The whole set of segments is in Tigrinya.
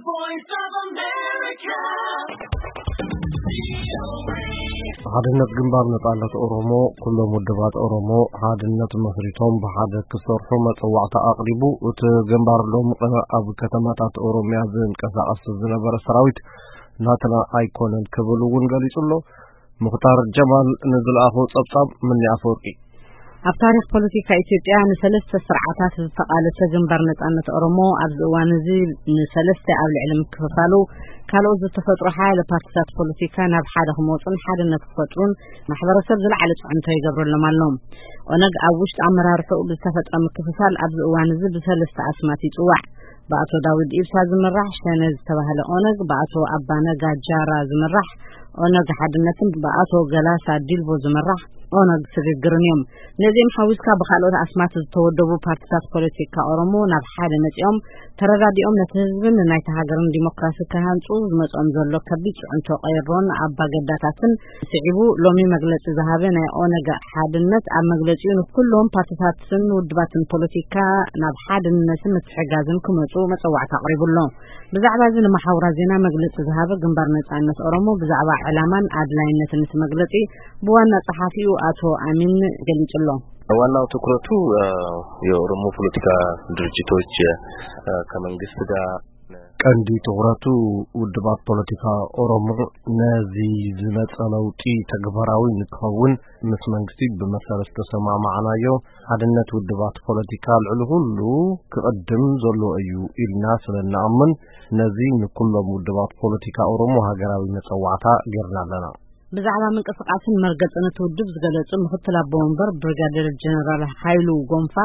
Voice of America. ሓድነት ግንባር ነጻነት ኦሮሞ፣ ኩሎም ውድባት ኦሮሞ ሓድነት መስሪቶም ብሓደ ክሰርሑ መጸዋዕታ ኣቕሪቡ። እቲ ግንባር ሎም ቅነ ኣብ ከተማታት ኦሮምያ ዝንቀሳቐስ ዝነበረ ሰራዊት ናትና ኣይኮነን ክብል እውን ገሊጹ ኣሎ። ሙኽታር ጀማል ንዝለኣኾ ጸብጻብ ምኒ ኣፈወርቂ። ኣብ ታሪኽ ፖለቲካ ኢትዮጵያ ንሰለስተ ስርዓታት ዝተቓለሰ ግንባር ነጻነት ኦሮሞ ኣብዚ እዋን እዚ ንሰለስተ ኣብ ልዕሊ ምክፍፋሉ፣ ካልኦት ዝተፈጥሩ ሓያለ ፓርቲታት ፖለቲካ ናብ ሓደ ክመጹን ሓድነት ክፈጥሩን ማሕበረሰብ ዝለዓለ ጽዕንቶ ይገብረሎም ኣሎ። ኦነግ ኣብ ውሽጢ ኣመራርሕኡ ብዝተፈጥረ ምክፍፋል ኣብዚ እዋን እዚ ብሰለስተ ኣስማት ይጽዋዕ። ብኣቶ ዳውድ ኢብሳ ዝምራሕ ሸነ ዝተባህለ ኦነግ፣ ብኣቶ ኣባነጋ ጃራ ዝምራሕ ኦነግ ሓድነትን ብኣቶ ገላሳ ዲልቦ ዝምራሕ ኦነግ ስግግርን እዮም። ነዚኦም ሓዊስካ ብካልኦት ኣስማት ዝተወደቡ ፓርቲታት ፖለቲካ ኦሮሞ ናብ ሓደ መጺኦም ተረዳዲኦም ነቲ ህዝብን ናይታ ሃገርን ዲሞክራሲ ክሃንጹ ዝመጾም ዘሎ ከቢድ ጽዕንቶ ቀይሮን ኣባገዳታትን ስዒቡ ሎሚ መግለጺ ዝሃበ ናይ ኦነግ ሓድነት ኣብ መግለጺኡ ንኩሎም ፓርቲታትን ውድባትን ፖለቲካ ናብ ሓድነትን ምትሕጋዝን ክመጹ መጸዋዕታ ኣቕሪቡ ኣሎ። ብዛዕባ እዚ ንመሓውራ ዜና መግለጺ ዝሃበ ግንባር ነጻነት ኦሮሞ ብዛዕባ ዕላማን ኣድላይነትን እቲ መግለጺ ብዋና ጸሓፊኡ ኣቶ ኣሚን ገሊጹ ኣሎ። ዋናው ትኩረቱ፣ እ፣ የኦሮሞ ፖለቲካ ድርጅቶች፣ እ፣ ከመንግስት ጋር ቀንዲ ትኹረቱ ውድባት ፖለቲካ ኦሮሞ ነዚ ዝመጸ ለውጢ ተግባራዊ ንክኸውን ምስ መንግስቲ ብመሰረት ዝተሰማማዕናዮ ሓድነት ውድባት ፖለቲካ ልዕሊ ኩሉ ክቕድም ዘለዎ እዩ ኢልና ስለ እንኣምን ነዚ ንኩሎም ውድባት ፖለቲካ ኦሮሞ ሃገራዊ መጸዋዕታ ጌርና ኣለና። ብዛዕባ ምንቅስቓስን መርገጽን እቲ ውድብ ዝገለጹ ምክትል ኣቦ ወንበር ብሪጋዴር ጀነራል ሃይሉ ጎንፋ፣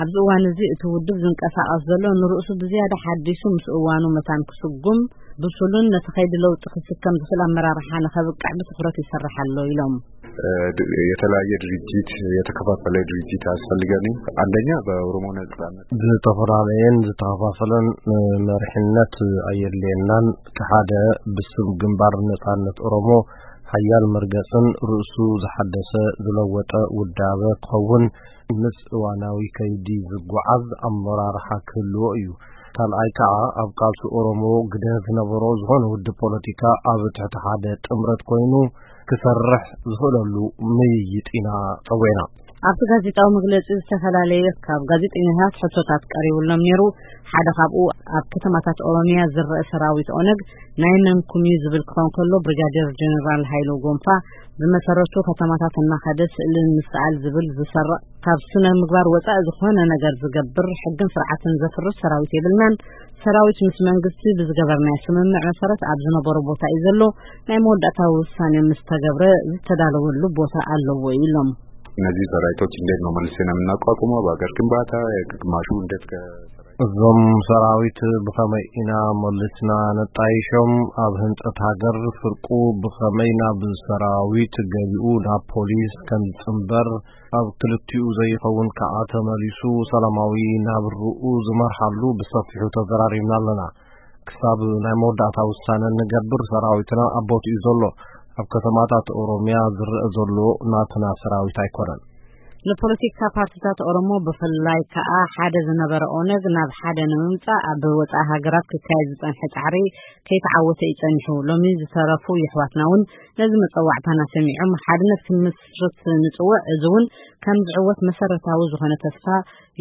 ኣብዚ እዋን እዚ እቲ ውድብ ዝንቀሳቐስ ዘሎ ንርእሱ ብዝያዳ ሓዲሱ ምስ እዋኑ መታን ክስጉም ብሱሉን ነቲ ከይዲ ለውጢ ክስከም ዝኽእል ኣመራርሓ ንኸብቅዕ ብትኹረት ይሰርሕ ኣሎ ኢሎም። እ፣ ድ-፣ የተለያየ ድርጅት፣ የተከፋፈለ ድርጅት አያስፈልገንም። አንደኛ በኦሮሞ ነጻነት ዝተፈላለየን ዝተኸፋፈለን፣ እ፣ መሪሕነት ኣየድልየናን። እቲ ሓደ ብስም ግንባር ነጻነት ኦሮሞ ሓያል መርገጽን ርእሱ ዝሓደሰ ዝለወጠ ውዳበ ክኸውን ምስ እዋናዊ ከይዲ ዝጓዓዝ ኣመራርሓ ክህልዎ እዩ። ካልኣይ ከኣ ኣብ ቃልሲ ኦሮሞ ግደ ዝነበሮ ዝኾነ ውድብ ፖለቲካ ኣብ ትሕቲ ሓደ ጥምረት ኮይኑ ክሰርሕ ዝኽእለሉ ምይይጥ ኢና ጸዊዕና። ኣብቲ ጋዜጣዊ መግለጺ ዝተፈላለየ ካብ ጋዜጠኛታት ሕቶታት ቀሪቡሎም ነይሩ። ሓደ ካብኡ ኣብ ከተማታት ኦሮሚያ ዝረአ ሰራዊት ኦነግ ናይ መንኩም እዩ ዝብል ክኸውን ከሎ፣ ብሪጋዴር ጀነራል ሃይሎ ጎንፋ ብመሰረቱ ከተማታት እናኸደ ስእሊ ምስኣል ዝብል ዝሰርቕ ካብ ስነ ምግባር ወጻኢ ዝኾነ ነገር ዝገብር ሕግን ስርዓትን ዘፍርስ ሰራዊት የብልናን። ሰራዊት ምስ መንግስቲ ብዝገበርናዮ ስምምዕ መሰረት ኣብ ዝነበሮ ቦታ እዩ ዘሎ። ናይ መወዳእታ ውሳኔ ምስ ተገብረ ዝተዳለወሉ ቦታ ኣለዎ ኢሎም። እነዚህ ሰራዊቶች እንዴት ነው መልሰን የምናቋቁመው? በሀገር ግንባታ ግማሹ እንዴት ከ- እዞም ሰራዊት ብኸመይ ኢና መሊስና ነጣይሾም? ኣብ ህንጸት ሃገር ፍርቁ ብኸመይ ናብ ሰራዊት ገቢኡ ናብ ፖሊስ ከም ዝጽንበር፣ ኣብ ክልቲኡ ዘይኸውን ከኣ ተመሊሱ ሰላማዊ ናብርኡ ዝመርሓሉ ብሰፊሑ ተዘራሪብና ኣለና። ክሳብ ናይ መወዳእታ ውሳነ እንገብር ሰራዊትና ኣብ ቦትኡ ዘሎ። ኣብ ከተማታት ኦሮምያ ዝረአ ዘሎ ናትና ሰራዊት ኣይኮነን። ንፖለቲካ ፓርቲታት ኦሮሞ ብፍላይ ከኣ ሓደ ዝነበረ ኦነግ ናብ ሓደ ንምምጻእ ኣብ ወጻኢ ሃገራት ክካየድ ዝጸንሐ ጻዕሪ ከይተዓወተ እዩ ጸኒሑ። ሎሚ ዝተረፉ የሕዋትና እውን ነዚ መጸዋዕታና ሰሚዖም ሓድነት ክንምስርት ንጽውዕ። እዚ እውን ከም ዝዕወት መሰረታዊ ዝኾነ ተስፋ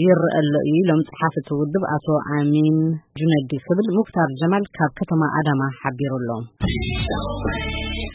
ይረአ ኣሎ እዩ ኢሎም ጸሓፊ እቲ ውድብ ኣቶ ኣሚን ጁነዲ ክብል ሙክታር ጀማል ካብ ከተማ ኣዳማ ሓቢሩ ኣሎ።